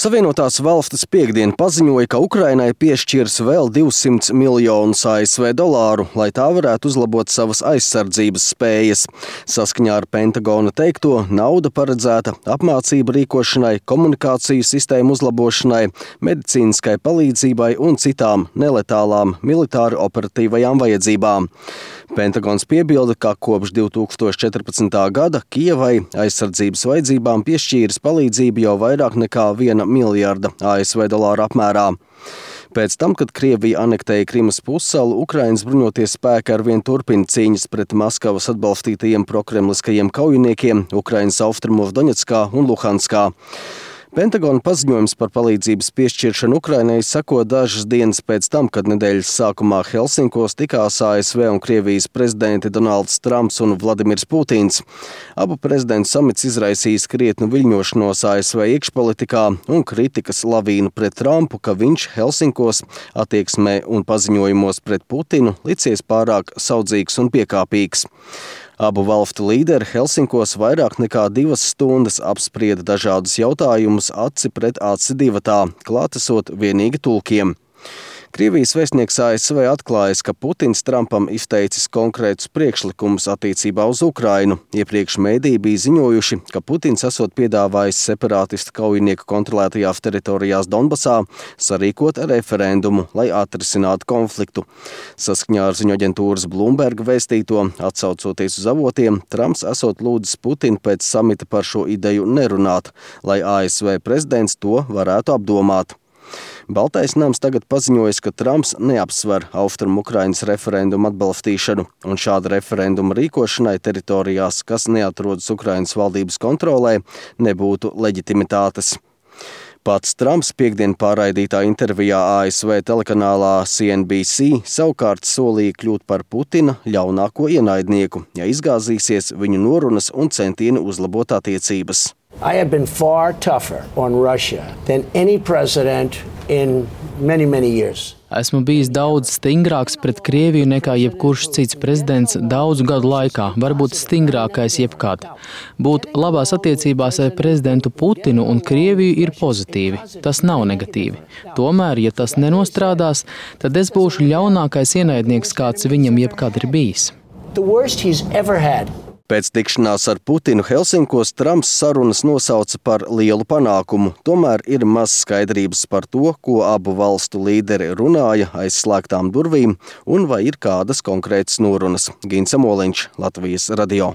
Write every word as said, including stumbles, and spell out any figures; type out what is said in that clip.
Savienotās valstis piekdien paziņoja, ka Ukrainai piešķirs vēl divsimt miljonus A S V dolāru, lai tā varētu uzlabot savas aizsardzības spējas. Saskaņā ar Pentagona teikto, nauda paredzēta apmācību rīkošanai, komunikāciju sistēmu uzlabošanai, medicīniskai palīdzībai un citām neletālām militāri operatīvajām vajadzībām. Pentagons piebilda, ka kopš divi tūkstoši četrpadsmitā gada Kijevai aizsardzības vajadzībām piešķīris palīdzību jau vairāk nekā viena miljarda A S V dolāru apmērā. Pēc tam, kad Krievija anektēja Krimas pussalu, Ukrainas bruņotie spēki arvien turpina cīņas pret Maskavas atbalstītajiem prokremliskajiem kaujiniekiem Ukrainas austrumos Doņetskā un Luhanskā. Pentagona paziņojums par palīdzības piešķiršanu Ukrainai seko dažas dienas pēc tam, kad nedēļas sākumā Helsinkos tikās A S V un Krievijas prezidenti Donalds Trumps un Vladimirs Putins. Abu prezidentu samits izraisīs krietnu viļņošanos A S V iekšpolitikā un kritikas lavīnu pret Trumpu, ka viņš Helsinkos attieksmē un paziņojumos pret Putinu licies pārāk saudzīgs un piekāpīgs. Abu valstu līderi Helsinkos vairāk nekā divas stundas apsprieda dažādus jautājumus aci pret aci divatā, klātesot vienīgi tulkiem. Krievijas vēstnieks A S V atklājas, ka Putins Trumpam izteicis konkrētus priekšlikumus attiecībā uz Ukrainu. Iepriekš mēdīji bija ziņojuši, ka Putins esot piedāvājis separātistu kaujinieku kontrolētajās teritorijās Donbasā sarīkot referendumu, lai atrisinātu konfliktu. Saskaņā ar ziņu aģentūras Bloomberg vēstīto, atsaucoties uz avotiem, Trumps esot lūdzis Putinu pēc samita par šo ideju nerunāt, lai A S V prezidents to varētu apdomāt. Baltais nams tagad paziņojas, ka Trumps neapsver Austrumu Ukrainas referendumu atbalstīšanu, un šāda referenduma rīkošanai teritorijās, kas neatrodas Ukrainas valdības kontrolē, nebūtu leģitimitātes. Pats Trumps piekdien pārraidītā intervijā A S V telekanālā C N B C savukārt solīja kļūt par Putina ļaunāko ienaidnieku, ja izgāzīsies viņu norunas un centieni uzlabot attiecības. I have been far tougher on Russia than any president in many, many years. Esmu bijis daudz stingrāks pret Krieviju nekā jebkurš cits prezidents daudzu gadu laikā, varbūt stingrākais jebkad. Būt labās attiecībās ar prezidentu Putinu un Krieviju ir pozitīvi, tas nav negatīvi. Tomēr, ja tas nenostrādās, tad es būšu ļaunākais ienaidnieks, kāds viņam jebkad ir bijis. The worst he's ever had. Pēc tikšanās ar Putinu Helsinkos Trumps sarunas nosauca par lielu panākumu. Tomēr ir maz skaidrības par to, ko abu valstu līderi runāja aiz slēgtām durvīm un vai ir kādas konkrētas norunas. Gins Amoliņš, Latvijas radio.